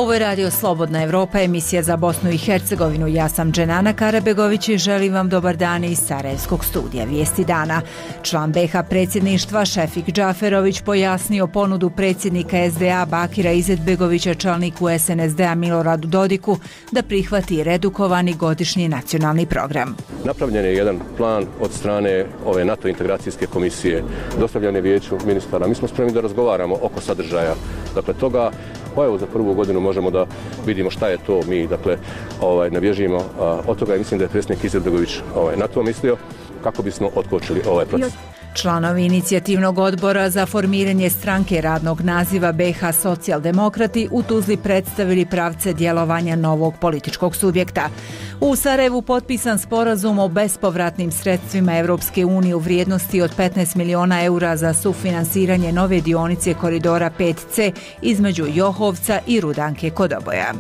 Ovo je Radio Slobodna Evropa, emisija za Bosnu i Hercegovinu. Ja sam Dženana Karabegović i želim vam dobar dan iz Sarajevskog studija Vijesti dana. Član BiH predsjedništva Šefik Džaferović pojasnio ponudu predsjednika SDA Bakira Izetbegovića čelniku SNSD-a Miloradu Dodiku da prihvati redukovani godišnji nacionalni program. Napravljen je jedan plan od strane ove NATO integracijske komisije, dostavljen je vijeću ministara. Mi smo spremni da razgovaramo oko sadržaja toga. Pa evo, za prvu godinu možemo da vidimo šta je to mi, ne bježimo od toga i mislim da je predsjednik Izetbegović na to mislio kako bismo otkočili ovaj proces. Članovi inicijativnog odbora za formiranje stranke radnog naziva BiH Socijaldemokrati u Tuzli predstavili pravce djelovanja novog političkog subjekta. U Sarajevu potpisan sporazum o bespovratnim sredstvima Evropske unije u vrijednosti od 15 miliona eura za sufinansiranje nove dionice koridora 5C između Johovca i Rudanke kod Oboja.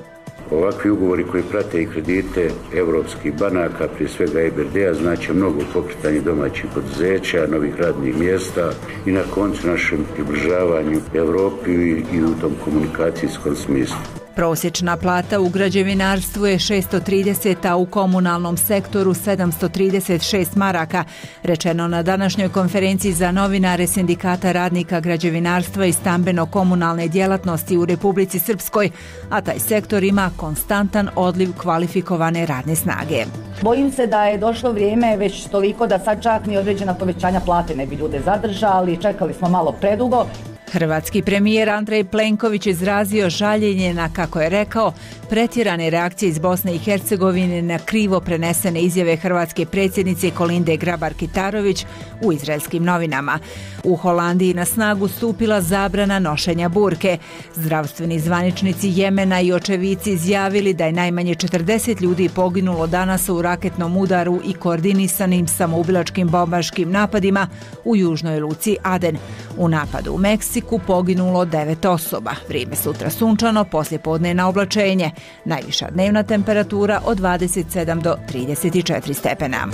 Ovakvi ugovori koji prate i kredite evropskih banaka, prije svega EBRD-a, znači mnogo pokretanje domaćih poduzeća, novih radnih mjesta i na koncu našem približavanju Europi i u tom komunikacijskom smislu. Prosječna plata u građevinarstvu je 630, a u komunalnom sektoru 736 maraka, rečeno na današnjoj konferenciji za novinare Sindikata radnika građevinarstva i stambeno-komunalne djelatnosti u Republici Srpskoj, a taj sektor ima konstantan odliv kvalifikovane radne snage. Bojim se da je došlo vrijeme već toliko da sad čak ni određena povećanja plate ne bi ljude zadržali, čekali smo malo predugo. Hrvatski premijer Andrej Plenković izrazio žaljenje na, kako je rekao, pretjerane reakcije iz Bosne i Hercegovine na krivo prenesene izjave hrvatske predsjednice Kolinde Grabar-Kitarović u izraelskim novinama. U Holandiji na snagu stupila zabrana nošenja burke. Zdravstveni zvaničnici Jemena i očevici izjavili da je najmanje 40 ljudi poginulo danas u raketnom udaru i koordinisanim samoubilačkim bombaškim napadima u južnoj luci Aden. U napadu u Meksiku poginulo 9 osoba. Vrijeme sutra sunčano, poslijepodne na oblačenje. Najviša dnevna temperatura od 27 do 34 stepena.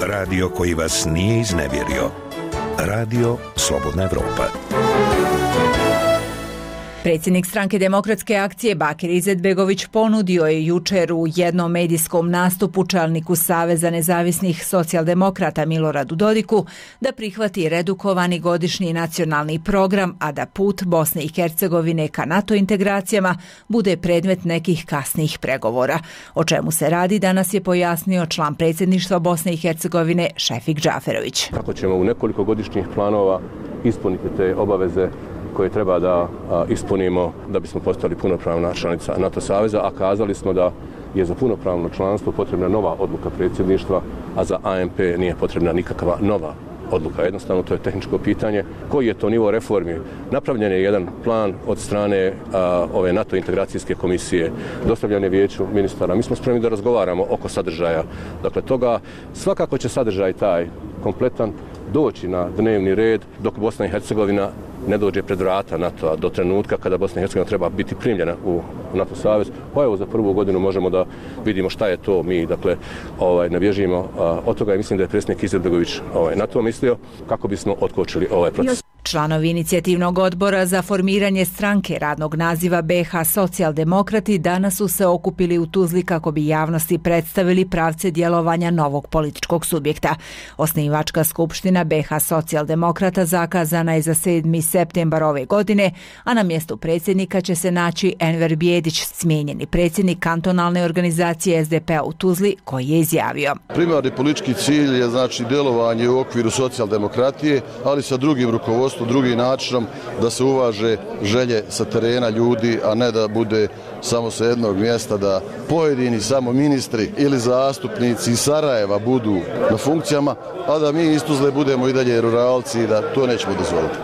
Radio koji vas nije iznevjerio. Radio Slobodna Evropa. Predsjednik stranke Demokratske akcije Bakir Izetbegović ponudio je jučer u jednom medijskom nastupu čelniku Saveza nezavisnih socijaldemokrata Miloradu Dodiku da prihvati redukovani godišnji nacionalni program, a da put Bosne i Hercegovine ka NATO integracijama bude predmet nekih kasnijih pregovora. O čemu se radi danas je pojasnio član predsjedništva Bosne i Hercegovine Šefik Džaferović. Kako ćemo u nekoliko godišnjih planova ispuniti te obaveze koje treba da ispunimo da bismo postali punopravna članica NATO saveza, a kazali smo da je za punopravno članstvo potrebna nova odluka predsjedništva, a za AMP nije potrebna nikakva nova odluka. Jednostavno, to je tehničko pitanje. Koji je to nivo reformi? Napravljen je jedan plan od strane ove NATO integracijske komisije, dostavljen je vijeću ministara. Mi smo spremni da razgovaramo oko sadržaja. Toga svakako će sadržaj taj kompletan doći na dnevni red dok Bosna i Hercegovina ne dođe pred vrata NATO-a do trenutka kada Bosna i Hercegovina treba biti primljena u NATO savez. Pa evo, za prvu godinu možemo da vidimo šta je to mi, ne bježimo od toga i mislim da je predsjednik Izetbegović na to mislio kako bismo otkočili ovaj proces. Članovi inicijativnog odbora za formiranje stranke radnog naziva BiH Socijaldemokrati danas su se okupili u Tuzli kako bi javnosti predstavili pravce djelovanja novog političkog subjekta. Osnivačka skupština BiH Socijaldemokrata zakazana je za 7. septembar ove godine, a na mjestu predsjednika će se naći Enver Bijedić, smijenjeni predsjednik kantonalne organizacije SDP-a u Tuzli, koji je izjavio: Primarni politički cilj je djelovanje u okviru socijaldemokratije, ali sa drugim rukovodstvom, drugim načinom da se uvaže želje sa terena ljudi, a ne da bude samo sa jednog mjesta da pojedini samo ministri ili zastupnici iz Sarajeva budu na funkcijama, a da mi iz Tuzle budemo i dalje ruralci i da to nećemo dozvoliti.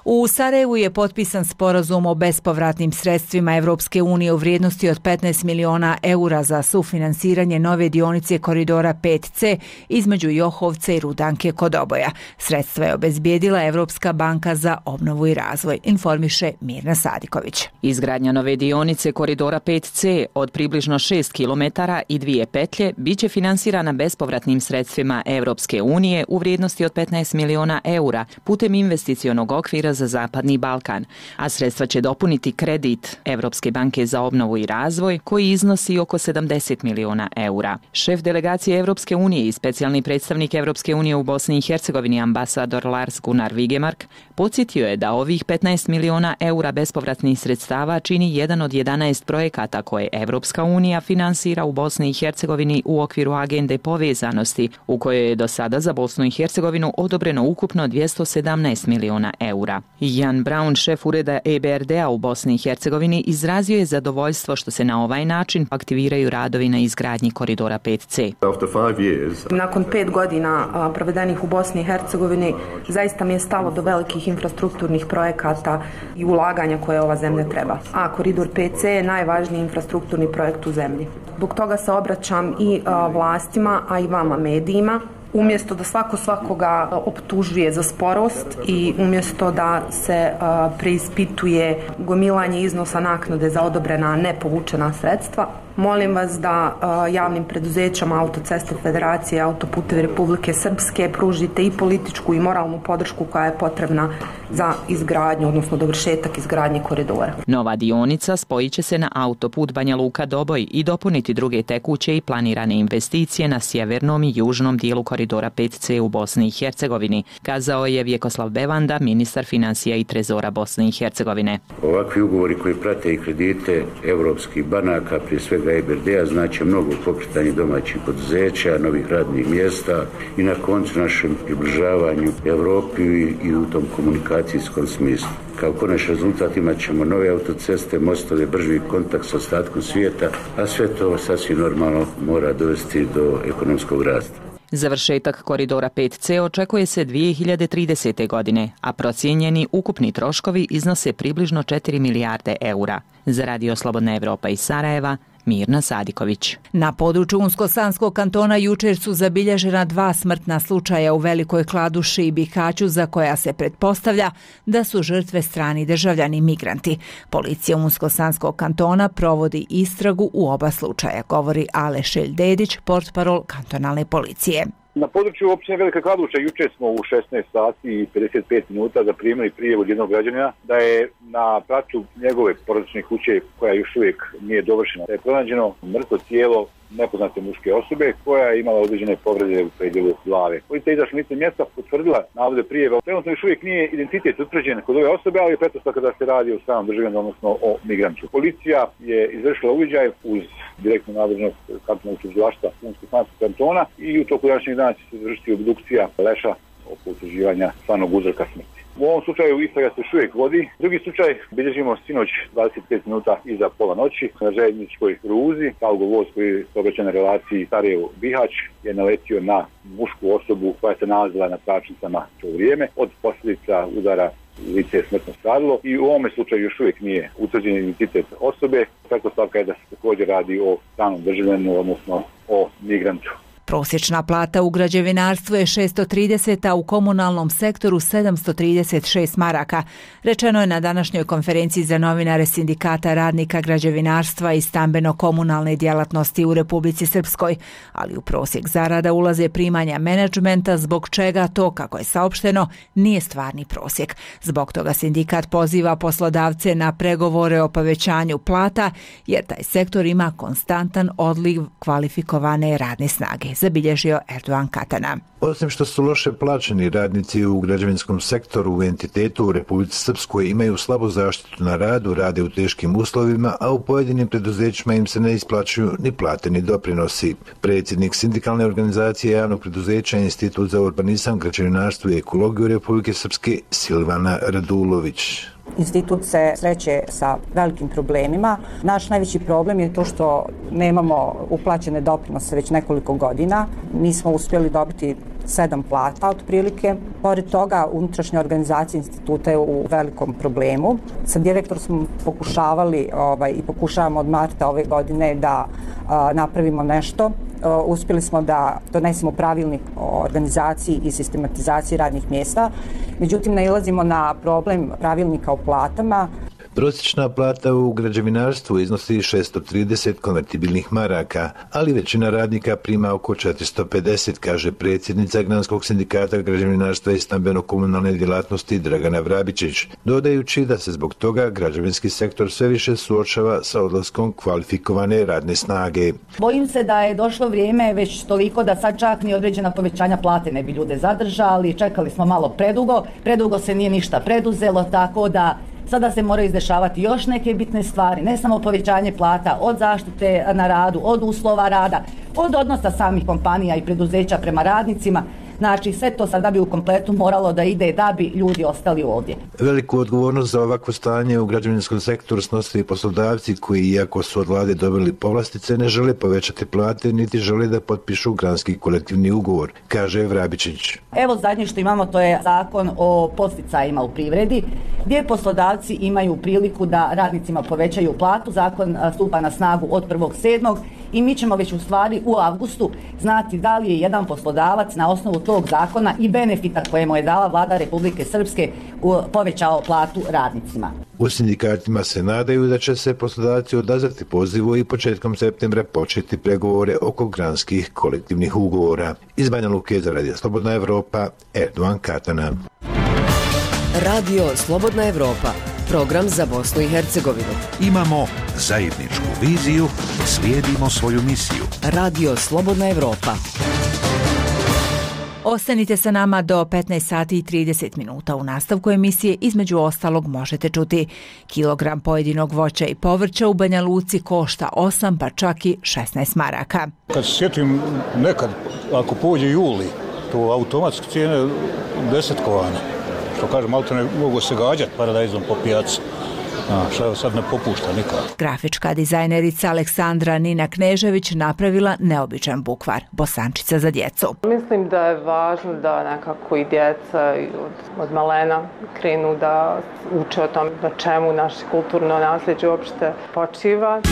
U Sarajevu je potpisan sporazum o bespovratnim sredstvima Evropske unije u vrijednosti od 15 miliona eura za sufinansiranje nove dionice koridora 5C između Johovca i Rudanke kod Oboja. Sredstva je obezbijedila Evropska banka za obnovu i razvoj, informiše Mirna Sadiković. Izgradnja nove dionice koridora 5C od približno 6 km i 2 petlje biće finansirana bespovratnim sredstvima Evropske unije u vrijednosti od 15 miliona eura putem investicionog okvira fonda za Zapadni Balkan, a sredstva će dopuniti kredit Evropske banke za obnovu i razvoj koji iznosi oko 70 miliona eura. Šef delegacije Evropske unije i specijalni predstavnik Evropske unije u Bosni i Hercegovini ambasador Lars Gunnar Vigemark podsjetio je da ovih 15 miliona eura bespovratnih sredstava čini jedan od 11 projekata koje Evropska unija finansira u Bosni i Hercegovini u okviru agende povezanosti, u kojoj je do sada za Bosnu i Hercegovinu odobreno ukupno 217 miliona eura. Jan Braun, šef ureda EBRD-a u Bosni i Hercegovini, izrazio je zadovoljstvo što se na ovaj način aktiviraju radovi na izgradnji koridora 5C. Nakon 5 godina provedenih u Bosni i Hercegovini, zaista mi je stalo do velikih infrastrukturnih projekata i ulaganja koje ova zemlja treba. A koridor 5C je najvažniji infrastrukturni projekt u zemlji. Zbog toga se obraćam i vlastima, a i vama medijima. Umjesto da svako svakoga optužuje za sporost i umjesto da se preispituje gomilanje iznosa naknade za odobrena nepovučena sredstva, molim vas da javnim preduzećama Autoceste Federacije i Autoputevi Republike Srpske pružite i političku i moralnu podršku koja je potrebna za izgradnju, odnosno dovršetak izgradnje koridora. Nova dionica spojit će se na autoput Banja Luka-Doboj i dopuniti druge tekuće i planirane investicije na sjevernom i južnom dijelu koridora 5C u Bosni i Hercegovini, kazao je Vjekoslav Bevanda, ministar financija i trezora Bosne i Hercegovine. Ovakvi ugovori koji prate i kredite evropskih banaka, prije svega EBRD-a, znači mnogo pokretanje domaćih poduzeća, novih radnih mjesta i na koncu našem približavanju Evropi i u tom komunikacijskom smislu. Kao konačni rezultat imat ćemo nove autoceste, mostove, brži kontakt s ostatkom svijeta, a sve to sasvim normalno mora dovesti do ekonomskog rasta. Završetak koridora 5C očekuje se 2030. godine, a procijenjeni ukupni troškovi iznose približno 4 milijarde eura. Za Radio Slobodna Evropa iz Sarajeva, Mirna Sadiković. Na području Unsko-Sanskog kantona jučer su zabilježena 2 smrtna slučaja u Velikoj Kladuši i Bihaću za koja se pretpostavlja da su žrtve strani državljani migranti. Policija Unsko-Sanskog kantona provodi istragu u oba slučaja, govori Aleš Dedić, portparol kantonalne policije. Na području općine Velika Kladuša jučer smo u 16 sati i 55 minuta zaprimili prijavu od jednog građanina da je na pracu njegove porodične kuće, koja još uvijek nije dovršena, da je pronađeno mrtvo tijelo nepoznate muške osobe koja je imala određene povrede u predjelu glave. Policija je izašla na lice mjesta, potvrdila navode prijave. Trenutno još uvijek nije identitet utvrđen kod ove osobe, ali je pretpostavka da se radi o stranom državljaninu, odnosno o migrantu. Policija je izvršila uviđaj uz direktnu nadležnost kantonalnog tužilaštva Unsko-Sanskog kantona i u toku današnjeg dana će se izvršiti obdukcija leša oko utvrđivanja stvarnog uzroka smrti. U ovom slučaju istraga se još uvijek vodi. Drugi slučaj bilježimo sinoć 25 minuta iza pola noći na željezničkoj pruzi. Talgo voz koji je saobraćen na relaciji Sarajevo-Bihać je naletio na mušku osobu koja se nalazila na tračnicama to vrijeme. Od posljedica udara lice je smrtno stradalo i u ovome slučaju još uvijek nije utvrđen identitet osobe. Pretpostavka je da se također radi o stranom državljaninu, odnosno o migrantu. Prosječna plata u građevinarstvu je 630, a u komunalnom sektoru 736 maraka. Rečeno je na današnjoj konferenciji za novinare Sindikata radnika građevinarstva i stambeno-komunalne djelatnosti u Republici Srpskoj, ali u prosjek zarada ulaze primanja menadžmenta, zbog čega to, kako je saopšteno, nije stvarni prosjek. Zbog toga sindikat poziva poslodavce na pregovore o povećanju plata, jer taj sektor ima konstantan odliv kvalifikovane radne snage, zabilježio Erdogan Katana. Osim što su loše plaćeni, radnici u građevinskom sektoru u entitetu u Republici Srpskoj imaju slabu zaštitu na radu, rade u teškim uslovima, a u pojedinim preduzećima im se ne isplaćuju ni plate ni doprinosi. Predsjednik sindikalne organizacije javnog preduzeća Institut za urbanizam, građevinarstvo i ekologiju Republike Srpske Silvana Radulović. Institut se sreće sa velikim problemima. Naš najveći problem je to što nemamo uplaćene doprinose već nekoliko godina. Nismo uspjeli dobiti 7 plata otprilike. Pored toga, unutrašnja organizacija instituta je u velikom problemu. Sa direktorom smo pokušavali i pokušavamo od marta ove godine da napravimo nešto. Uspjeli smo da donesemo pravilnik o organizaciji i sistematizaciji radnih mjesta. Međutim, nailazimo na problem pravilnika o platama. Prosječna plata u građevinarstvu iznosi 630 konvertibilnih maraka, ali većina radnika prima oko 450, kaže predsjednica Granskog sindikata građevinarstva i stambeno-komunalne djelatnosti Dragana Vrabičić, dodajući da se zbog toga građevinski sektor sve više suočava sa odlaskom kvalifikovane radne snage. Bojim se da je došlo vrijeme već toliko da sad čak ni određena povećanja plate ne bi ljude zadržali, čekali smo malo predugo se nije ništa preduzelo, tako da sada se moraju izdešavati još neke bitne stvari, ne samo povećanje plata, od zaštite na radu, od uslova rada, od odnosa samih kompanija i preduzeća prema radnicima. Znači, sve to sada bi u kompletu moralo da ide da bi ljudi ostali ovdje. Veliku odgovornost za ovakvo stanje u građevinskom sektoru snose i poslodavci koji, iako su od vlade dobili povlastice, ne žele povećati plate niti žele da potpišu granski kolektivni ugovor, kaže Vrabičić. Evo zadnje što imamo, to je zakon o podsticajima u privredi, gdje poslodavci imaju priliku da radnicima povećaju platu. Zakon stupa na snagu od 1.7. i mi ćemo već u stvari u avgustu znati da li je jedan poslodavac na osnovu tog zakona i benefita koje mu je dala vlada Republike Srpske povećao platu radnicima. U sindikatima se nadaju da će se poslodavci odazvati pozivu i početkom septembra početi pregovore oko granskih kolektivnih ugovora. Iz Banja Luke za Radio Slobodna Evropa, Erdovan Katana. Radio Slobodna Evropa, program za Bosnu i Hercegovinu. Imamo zajedničku viziju, slijedimo svoju misiju. Radio Slobodna Evropa. Ostanite sa nama do 15 sati i 30 minuta. U nastavku emisije između ostalog možete čuti: kilogram pojedinog voća i povrća u Banja Luci košta 8 pa čak i 16 maraka. Kad se sjetim nekad, ako pođe juli, to automatski cijene 10 kovana. Što kažem, malo ne mogu se gađati paradajzom po pijaci. Što sad ne popušta nikad. Grafička dizajnerica Aleksandra Nina Knežević napravila neobičan bukvar, bosančica za djecu. Mislim da je važno da nekako i djeca od malena krenu da uče o tom na čemu naše kulturno nasljeđe uopšte počiva.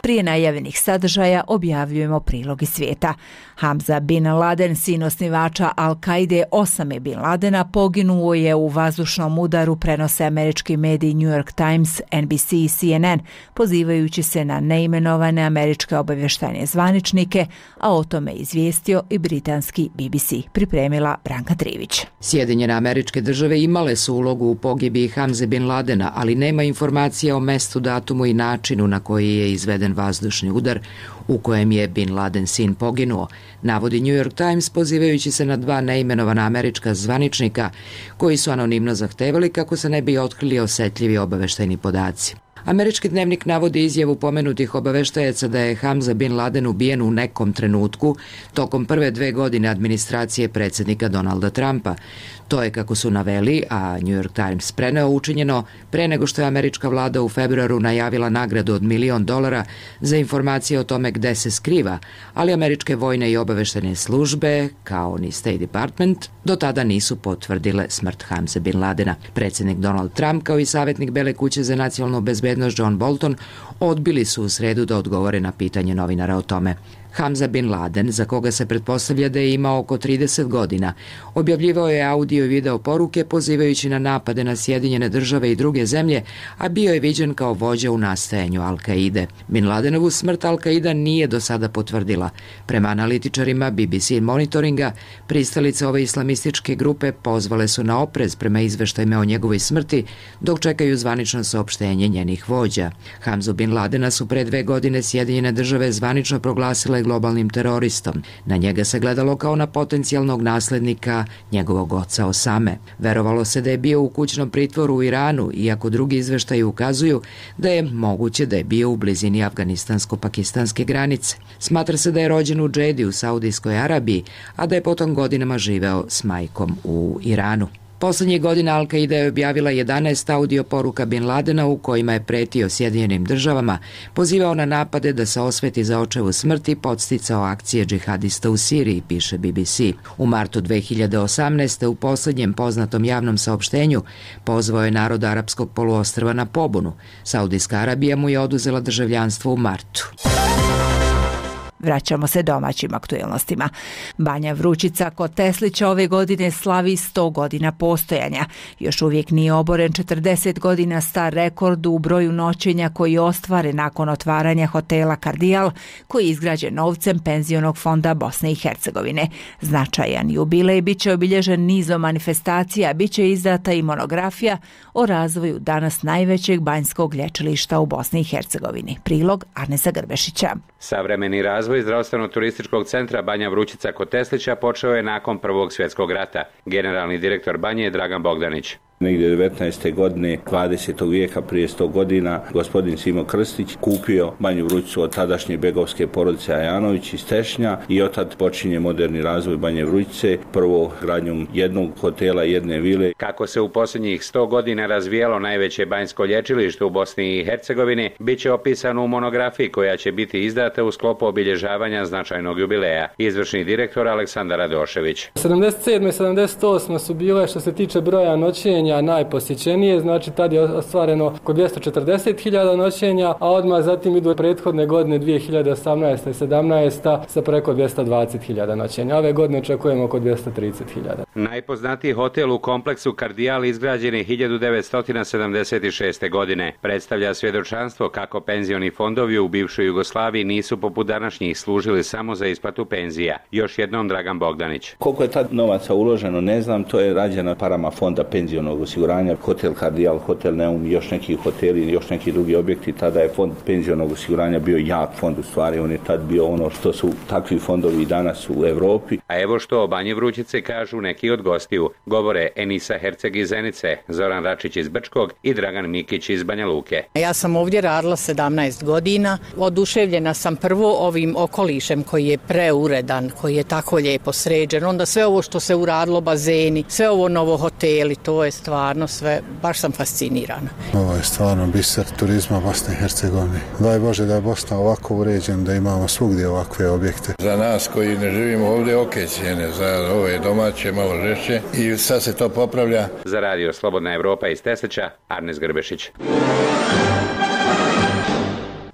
Prije najavljenih sadržaja objavljujemo prilog iz svijeta. Hamza bin Laden, sin osnivača Al-Kaide Osame bin Ladena, poginuo je u vazdušnom udaru, prenose američki mediji New York Times, NBC i CNN, pozivajući se na neimenovane američke obavještajne zvaničnike, a o tome izvijestio i britanski BBC. Pripremila Branka Trivić. Sjedinjene Američke Države imale su ulogu u pogibiji Hamze bin Ladena, ali nema informacija o mestu, datumu i načinu na koji je izveden vazdušni udar u kojem je bin Laden sin poginuo, navodi New York Times pozivajući se na 2 neimenovana američka zvaničnika koji su anonimno zahtevali kako se ne bi otkrili osetljivi obaveštajni podaci. Američki dnevnik navodi izjavu pomenutih obaveštajaca da je Hamza bin Laden ubijen u nekom trenutku tokom prve 2 godine administracije predsjednika Donalda Trumpa. To je, kako su naveli, a New York Times preneo, učinjeno pre nego što je američka vlada u februaru najavila nagradu od $1 milion za informacije o tome gde se skriva, ali američke vojne i obaveštajne službe, kao ni State Department, do tada nisu potvrdile smrt Hamze bin Ladena. Predsjednik Donald Trump, kao i savjetnik Bele kuće za nacionalnu bezbednost John Bolton, odbili su u sredu da odgovore na pitanje novinara o tome. Hamza bin Laden, za koga se pretpostavlja da je imao oko 30 godina, objavljivao je audio i video poruke pozivajući na napade na Sjedinjene Države i druge zemlje, a bio je viđen kao vođa u nastajanju Al-Kaide. Bin Ladenovu smrt Al-Kaida nije do sada potvrdila. Prema analitičarima BBC monitoringa, pristalice ove islamističke grupe pozvale su na oprez prema izveštajima o njegovoj smrti, dok čekaju zvanično saopštenje njenih vođa. Hamzu bin Ladena su pre 2 godine Sjedinjene Države zvanično proglasile globalnim teroristom. Na njega se gledalo kao na potencijalnog naslednika njegovog oca Osame. Verovalo se da je bio u kućnom pritvoru u Iranu, iako drugi izveštaji ukazuju da je moguće da je bio u blizini afganistansko-pakistanske granice. Smatra se da je rođen u Džedi u Saudijskoj Arabiji, a da je potom godinama živeo s majkom u Iranu. Poslednjih godina Al-Kaida je objavila 11 audio poruka bin Ladena u kojima je pretio Sjedinjenim Državama, pozivao na napade da se osveti za očevu smrti, podsticao akcije džihadista u Siriji, piše BBC. U martu 2018. u posljednjem poznatom javnom saopštenju pozvao je narod arapskog poluostrva na pobunu. Saudijska Arabija mu je oduzela državljanstvo u martu. Vraćamo se domaćim aktuelnostima. Banja Vrućica kod Teslića ove godine slavi 100 godina postojanja. Još uvijek nije oboren 40 godina star rekord u broju noćenja koji je ostvaren nakon otvaranja hotela Kardijal, koji je izgrađen novcem Penzionog fonda Bosne i Hercegovine. Značajan jubilej bit će obilježen nizom manifestacija, bit će izdata i monografija o razvoju danas najvećeg banjskog lječilišta u Bosni i Hercegovini. Prilog Arnesa Grbešića. Savremeni razvoj zdravstveno-turističkog centra Banja Vrućica kod Teslića počeo je nakon Prvog svjetskog rata. Generalni direktor Banje je Dragan Bogdanić. Negdje 19. godine 20. vijeka, prije 100 godina, gospodin Simo Krstić kupio Banju Vrućicu od tadašnje begovske porodice Ajanović iz Tešnja i otad počinje moderni razvoj Banje Vrućice, prvo gradnjom jednog hotela, jedne vile. Kako se u posljednjih 100 godina razvijalo najveće banjsko lječilište u Bosni i Hercegovini, bit će opisano u monografiji koja će biti izdata u sklopu obilježavanja značajnog jubileja. Izvršni direktor Aleksandar Radošević. 77. i 78. su bile, što se tiče broja noćenja, najposjećenije, znači tad je ostvareno oko 240.000 noćenja, a odmah zatim idu prethodne godine 2018. i 2017. sa preko 220.000 noćenja. Ove godine očekujemo oko 230.000. Najpoznatiji hotel u kompleksu Kardijal izgrađen je 1976. godine. Predstavlja svjedočanstvo kako penzioni fondovi u bivšoj Jugoslaviji nisu poput današnjih služili samo za isplatu penzija. Još jednom Dragan Bogdanić. Koliko je tad novaca uloženo, ne znam, to je rađeno parama fonda penzionog osiguranja, hotel Kardijal, hotel Neum, još neki hoteli, još neki drugi objekti. Tada je fond penzionog osiguranja bio jak fond, u stvari on je tad bio ono što su takvi fondovi danas u Europi. A evo što o Banji Vrućice kažu neki od gostiju. Govore Enisa Herceg iz Zenice, Zoran Račić iz Brčkog i Dragan Mikić iz Banja Luke. Ja sam ovdje radila 17 godina. Oduševljena sam prvo ovim okolišem koji je preuredan, koji je tako lijepo sređen. Onda sve ovo što se uradilo, bazeni, sve ovo novo hoteli, to je stvarno sve, baš sam fascinirana. Ovo je stvarno biser turizma Bosne i Hercegovine. Daj Bože da je Bosna ovako uređena, da imamo svugdje ovakve objekte. Za nas koji ne živimo ovdje, cijene, za ove domaće malo žešće i sad se to popravlja. Za radio Slobodna Evropa iz Teslića, Arnes Grbešić.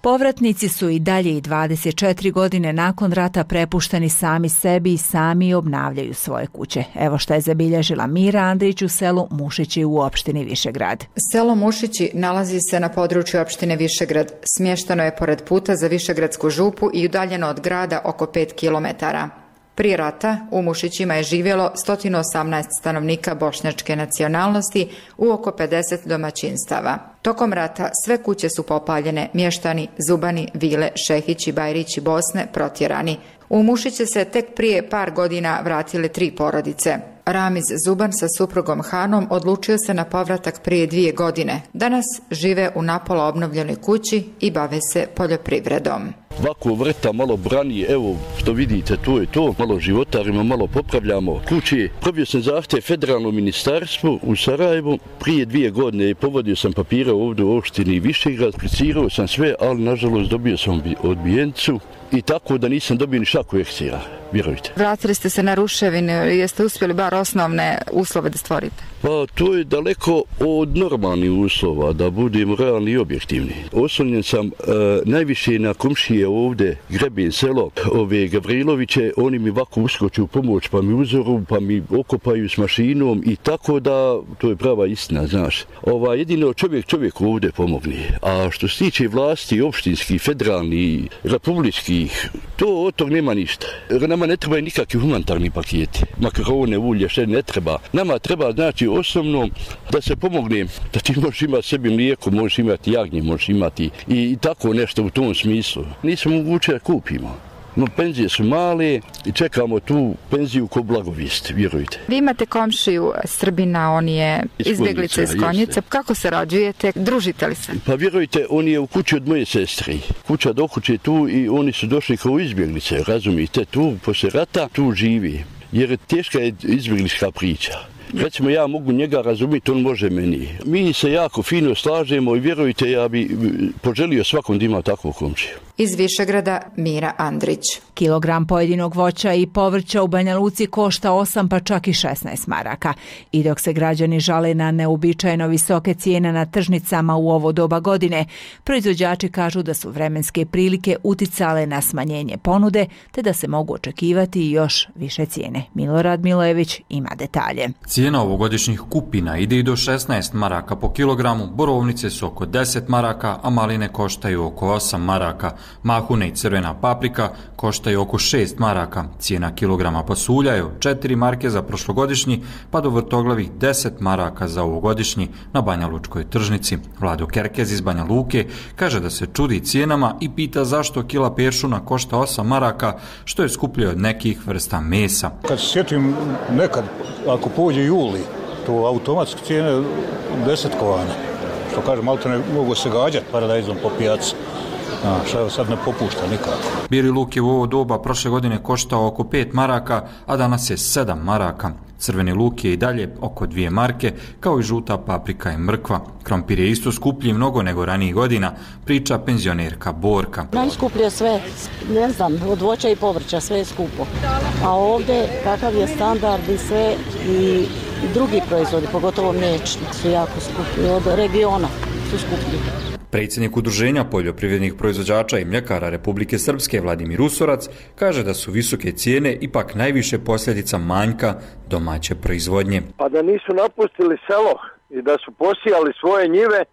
Povratnici su i dalje i 24 godine nakon rata prepušteni sami sebi i sami obnavljaju svoje kuće. Evo što je zabilježila Mira Andrić u selu Mušići u opštini Višegrad. Selo Mušići nalazi se na području opštine Višegrad. Smješteno je pored puta za Višegradsku župu i udaljeno od grada oko 5 kilometara. Prije rata u Mušićima je živjelo 118 stanovnika bošnjačke nacionalnosti u oko 50 domaćinstava. Tokom rata sve kuće su popaljene, mještani, Zubani, Vile, Šehići, Bajrići, Bosne protjerani. U Mušiće se tek prije par godina vratile 3 porodice. Ramiz Zuban sa suprugom Hanom odlučio se na povratak prije 2 godine. Danas žive u napola obnovljenoj kući i bave se poljoprivredom. Ovako vrta malo brani, evo što vidite, to je to, malo životarimo, malo popravljamo kuće. Probio sam zahtjev federalnom ministarstvu u Sarajevu, prije 2 godine povodio sam papire ovdje u opštini Višegrad, aplicirao sam sve, ali nažalost dobio sam odbijencu i tako da nisam dobio ni šaku eksira, vjerujte. Vratili ste se na ruševine, jeste uspjeli bar osnovne uslove da stvorite? Pa to je daleko od normalnih uslova, da budemo realni i objektivni. Oslonjen sam najviše na komšije ovdje, Grebin selo, ove Gavriloviće, oni mi ovako uskoču u pomoć, pa mi uzoru, pa mi okopaju s mašinom i tako da, to je prava istina, znaš. Jedino čovjek ovdje pomogne. A što se tiče vlasti, opštinskih, federalnih, republičkih, to od tog nema ništa. Nama ne trebaju nikakvi humanitarni paketi, makarone, ulje, što ne treba. Nama treba, znači, osnovno da se pomogne, da ti možeš imati sebi mlijeko, možeš imati jagnje, možeš imati i tako nešto u tom smislu. Nismo moguće da kupimo. No, penzije su male i čekamo tu penziju ko blagovijest, vjerujte. Vi imate komšiju Srbina, on je izbjeglica iz Konjice. Kako se rađujete? Družite li se? Pa vjerujte, on je u kući od moje sestre. Kuća do kuće tu i oni su došli kao izbjeglice, razumijete, tu poslije rata tu živi. Jer teška je izbjeglička priča. Recimo, ja mogu njega razumjeti, on može meni. Mi se jako fino slažemo i vjerujte, ja bi poželio svakom da ima takvu komšiju. Iz Višegrada Mira Andrić. Kilogram pojedinog voća i povrća u Banja Luci košta 8 pa čak i 16 maraka. I dok se građani žale na neuobičajeno visoke cijene na tržnicama u ovo doba godine, proizvođači kažu da su vremenske prilike uticale na smanjenje ponude, te da se mogu očekivati još više cijene. Milorad Milojević ima detalje. Cijena ovogodišnjih kupina ide i do 16 maraka po kilogramu, borovnice su oko 10 maraka, a maline koštaju oko 8 maraka. Mahune i crvena paprika koštaju oko 6 maraka. Cijena kilograma pasulja je 4 marke za prošlogodišnji, pa do vrtoglavih 10 maraka za ovogodišnji na Banja Lučkoj tržnici. Vlado Kerkez iz Banja Luke kaže da se čudi cijenama i pita zašto kila peršuna košta 8 maraka, što je skuplje od nekih vrsta mesa. Kad se sjetim nekad, ako pođe juli, to automatski cijene 10 kovana. Što kaže, malo ne mogu se gađati paradajzom po pijaci. Što sad ne popušta nikako. Bijeli luk je u ovo doba prošle godine koštao oko 5 maraka, a danas je 7 maraka. Crveni luk je i dalje oko 2 marke, kao i žuta paprika i mrkva. Krompir je isto skuplji mnogo nego ranijih godina, priča penzionerka Borka. Najskuplje sve, ne znam, od voća i povrća, sve je skupo. A ovdje, kakav je standard i sve, i drugi proizvodi, pogotovo mliječni, su jako skuplji, od regiona su skuplji. Predsjednik Udruženja poljoprivrednih proizvođača i mljekara Republike Srpske Vladimir Usorac kaže da su visoke cijene ipak najviše posljedica manjka domaće proizvodnje. Pa da nisu napustili selo i da su posijali svoje njive,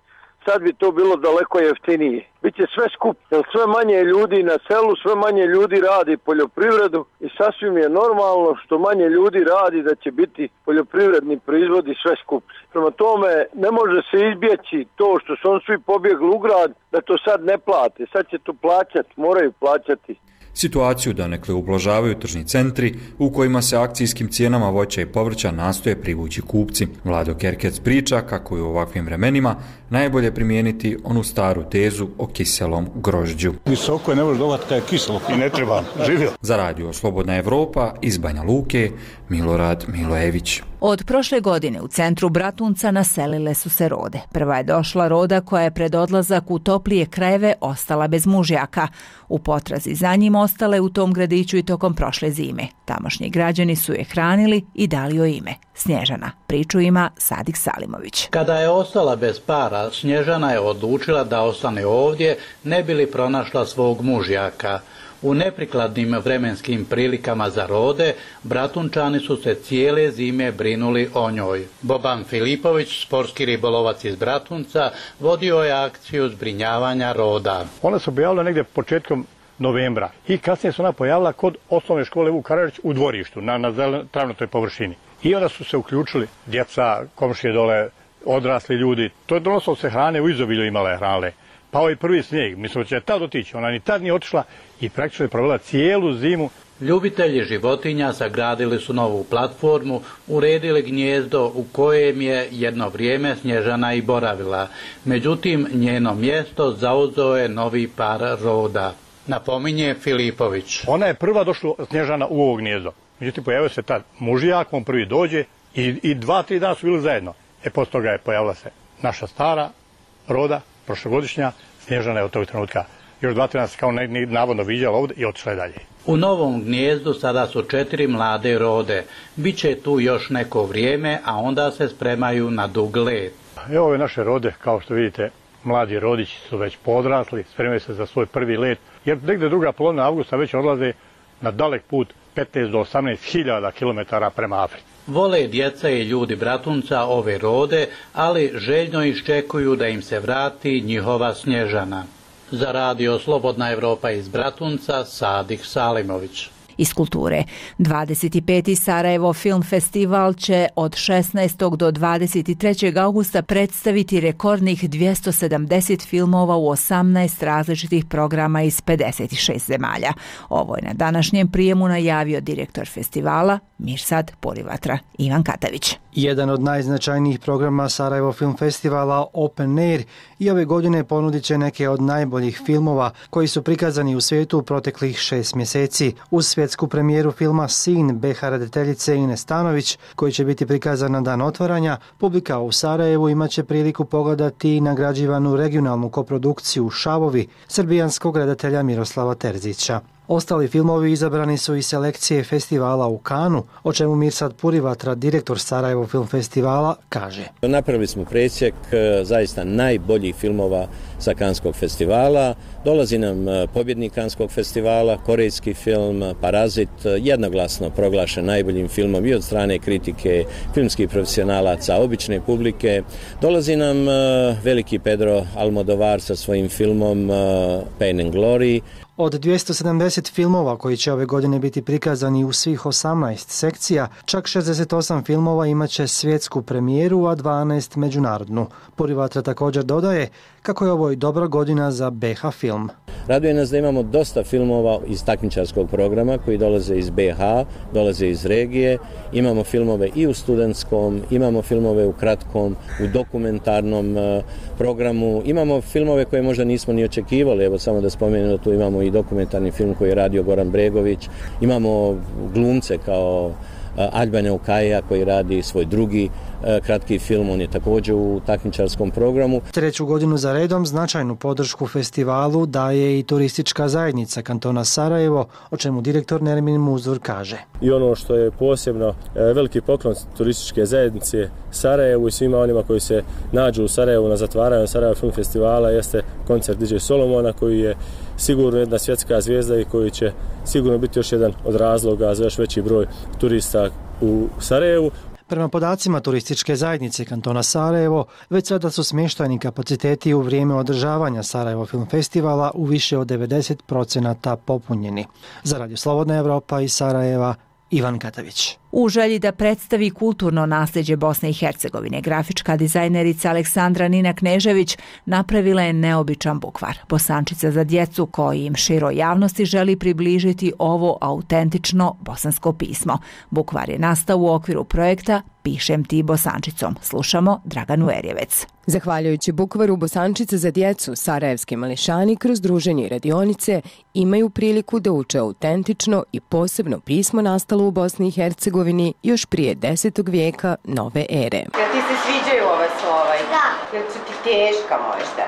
sad bi to bilo daleko jeftinije. Biće sve skup, jer sve manje ljudi na selu, sve manje ljudi radi poljoprivredu i sasvim je normalno što manje ljudi radi da će biti poljoprivredni proizvodi sve skuplji. Prema tome ne može se izbjeći to što su on svi pobjegli u grad, da to sad ne plate. Sad će to plaćati, moraju plaćati. Situaciju donekle ublažavaju tržni centri u kojima se akcijskim cijenama voća i povrća nastoje privući kupci. Vlado Kerkec priča kako je u ovakvim vremenima najbolje primijeniti onu staru tezu o kiselom grožđu. Visoko je, ne može dobati kada je kiselo i ne treba. Živio. Za radio Slobodna Evropa iz Banja Luke, Milorad Milojević. Od prošle godine u centru Bratunca naselile su se rode. Prva je došla roda koja je pred odlazak u toplije krajeve ostala bez mužjaka. U potrazi za njim ostale u tom gradiću i tokom prošle zime. Tamošnji građani su je hranili i dali joj ime. Snježana. Priču ima Sadik Salimović. Kada je ostala bez para, Snježana je odlučila da ostane ovdje, ne bi li pronašla svog mužjaka. U neprikladnim vremenskim prilikama za rode, Bratunčani su se cijele zime brinuli o njoj. Boban Filipović, sportski ribolovac iz Bratunca, vodio je akciju zbrinjavanja roda. Ona se pojavila negdje početkom novembra i kasnije se ona pojavila kod osnovne škole Vuk Karadžić u dvorištu, na travnatoj površini. I onda su se uključili djeca, komšije dole, odrasli ljudi. To je donosilo se hrane, u izobilju imale hrane. Pao je prvi snijeg, mislim da će tad otići, ona ni tad nije otišla i praktično je provela cijelu zimu. Ljubitelji životinja sagradili su novu platformu, uredili gnijezdo u kojem je jedno vrijeme Snježana i boravila. Međutim, njeno mjesto zauzeo je novi par roda. Napominje Filipović. Ona je prva došla Snježana u ovo gnijezdo. Međutim, pojavio se tad mužijak, on prvi dođe i 2-3 dana su bili zajedno. Poslije toga je pojavila se naša stara roda, prošlogodišnja, Snježana je od tog trenutka još 2-3 dana se kao navodno viđala ovdje i otišla je dalje. U novom gnijezdu sada su 4 mlade rode. Biće tu još neko vrijeme, a onda se spremaju na dug let. Evo ove naše rode, kao što vidite, mladi rodići su već podrasli, spremaju se za svoj prvi let, jer negdje druga polovina avgusta već odlaze na dalek put 15 do 18.000 km prema Africi. Vole djeca i ljudi Bratunca ove rode, ali željno iščekuju da im se vrati njihova Snježana. Za radio Slobodna Evropa iz Bratunca, Sadik Salimović. Iz kulture. 25. Sarajevo Film Festival će od 16. do 23. augusta predstaviti rekordnih 270 filmova u 18 različitih programa iz 56 zemalja. Ovo je na današnjem prijemu najavio direktor festivala Mirsad Purivatra, Ivan Katavić. Jedan od najznačajnijih programa Sarajevo Film Festivala Open Air i ove godine ponudit će neke od najboljih filmova koji su prikazani u svijetu u proteklih 6 mjeseci. Uz svjetsku premijeru filma Sin BH rediteljice Ines Stanović, koji će biti prikazan na dan otvaranja, publika u Sarajevu imaće priliku pogledati nagrađivanu regionalnu koprodukciju Šavovi srbijanskog redatelja Miroslava Terzića. Ostali filmovi izabrani su iz selekcije festivala u Kanu, o čemu Mirsad Purivatra, direktor Sarajevo Film Festivala, kaže. Napravili smo presjek zaista najboljih filmova sa Kanskog festivala. Dolazi nam pobjednik Kanskog festivala, korejski film Parazit, jednoglasno proglašen najboljim filmom i od strane kritike, filmskih profesionalaca, obične publike. Dolazi nam veliki Pedro Almodovar sa svojim filmom Pain and Glory. Od 270 filmova koji će ove godine biti prikazani u svih 18 sekcija, čak 68 filmova imaće svjetsku premijeru, a 12 međunarodnu. Purivatra također dodaje kako je ovo i dobra godina za BH film. Raduje nas da imamo dosta filmova iz takmičarskog programa koji dolaze iz BH, dolaze iz regije. Imamo filmove i u studentskom, imamo filmove u kratkom, u dokumentarnom programu. Imamo filmove koje možda nismo ni očekivali, evo samo da spomenem da tu imamo i dokumentarni film koji je radio Goran Bregović. Imamo glumce kao Aljbana Ukaja koji radi svoj drugi kratki film, on je također u takmičarskom programu. Treću godinu za redom značajnu podršku festivalu daje i turistička zajednica kantona Sarajevo, o čemu direktor Nermin Muzur kaže. I ono što je posebno veliki poklon turističke zajednice Sarajevu i svima onima koji se nađu u Sarajevu na zatvaranju Sarajevo Film Festivala jeste koncert DJ Solomona koji je sigurno jedna svjetska zvijezda i koji će sigurno biti još jedan od razloga za još veći broj turista u Sarajevu. Prema podacima turističke zajednice kantona Sarajevo, već sada su smještajni kapaciteti u vrijeme održavanja Sarajevo Film Festivala u više od 90% popunjeni. Za Radio Slobodna Evropa iz Sarajeva, Ivan Katavić. U želji da predstavi kulturno nasljeđe Bosne i Hercegovine, grafička dizajnerica Aleksandra Nina Knežević napravila je neobičan bukvar, bosančica za djecu koji im široj javnosti želi približiti ovo autentično bosansko pismo. Bukvar je nastao u okviru projekta Pišem ti bosančicom. Slušamo Draganu Erjevec. Zahvaljujući bukvaru Bosančice za djecu, sarajevski mališani kroz druženje i radionice imaju priliku da uče autentično i posebno pismo nastalo u Bosni i Hercegovini još prije 10. vijeka nove ere. Jel ti se sviđaju ove slova? Da. Jel su ti teška možda?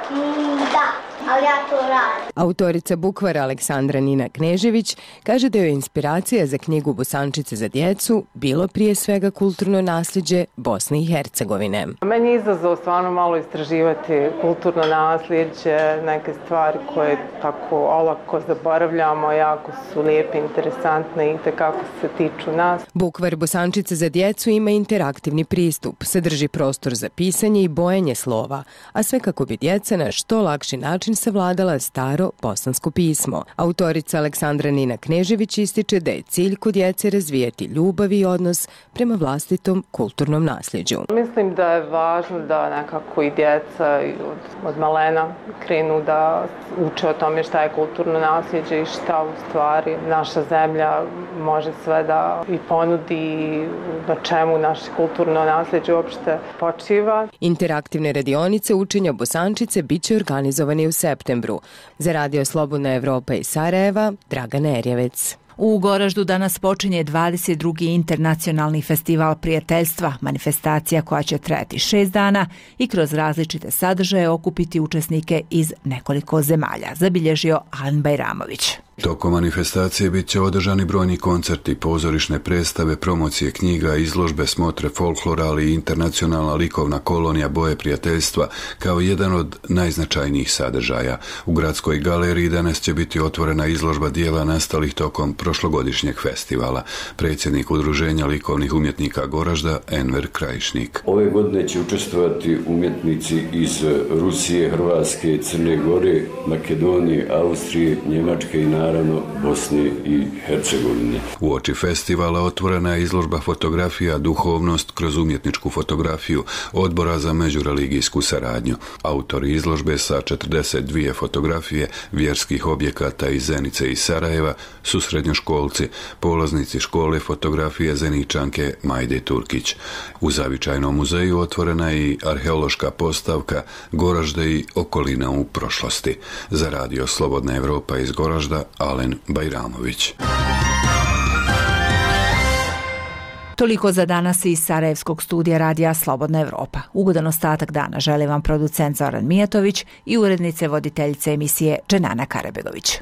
Da, ali ja to radim. Autorica bukvara Aleksandra Nina Knežević kaže da joj inspiracija za knjigu Bosančice za djecu bilo prije svega kulturno nasljeđe Bosne i Hercegovine. Meni je izazov stvarno malo istraživati kulturno nasljeđe, neke stvari koje tako olako zaboravljamo, jako su lijepe, interesantne i tekako se tiču nas. Bukvar Bosančice za djecu ima interaktivni pristup, sadrži prostor za pisanje i bojanje slova, a sve kako bi djeca na što lakši način savladala staro bosansko pismo. Autorica Aleksandra Nina Knežević ističe da je cilj kod djece razvijati ljubav i odnos prema vlastitom kulturnom nasljeđu. Mislim da je važno da nekako i djeca od malena krenu da uče o tome šta je kulturno nasljeđe i šta u stvari naša zemlja može sve da i ponudi, na čemu naše kulturno nasljeđe uopšte počiva. Interaktivne radionice učenja Bosančice bit će organizovane u septembru. Za Radio Slobodna Evropa iz Sarajeva, Dragana Erjevec. U Goraždu danas počinje 22. internacionalni festival prijateljstva, manifestacija koja će trajati 6 dana i kroz različite sadržaje okupiti učesnike iz nekoliko zemalja, zabilježio Alan Bajramović. Tokom manifestacije bit će održani brojni koncerti, pozorišne predstave, promocije knjiga, izložbe, smotre folklora, ali i internacionalna likovna kolonija Boje prijateljstva kao jedan od najznačajnijih sadržaja. U Gradskoj galeriji danas će biti otvorena izložba dijela nastalih tokom prošlogodišnjeg festivala. Predsjednik Udruženja likovnih umjetnika Goražda, Enver Krajišnik. Ove godine će učestvovati umjetnici iz Rusije, Hrvatske, Crne Gore, Makedonije, Austrije, Njemačke i naravno Bosne i Hercegovine. Uoči festivala otvorena je izložba fotografija Duhovnost kroz umjetničku fotografiju Odbora za međureligijsku saradnju. Autori izložbe sa 42 fotografije vjerskih objekata iz Zenice i Sarajeva su srednjoškolci, polaznici škole fotografije Zeničanke Majde Turkić. U Zavičajnom muzeju otvorena je i arheološka postavka Goražde i okolina u prošlosti. Za radio Slobodna Evropa iz Goražda, Alen Bajramović. Toliko za danas iz Sarajevskog studija radija Slobodna Evropa. Ugodan ostatak dana želi vam producent Zoran Mijatović i urednice voditeljice emisije Dženana Karabegović.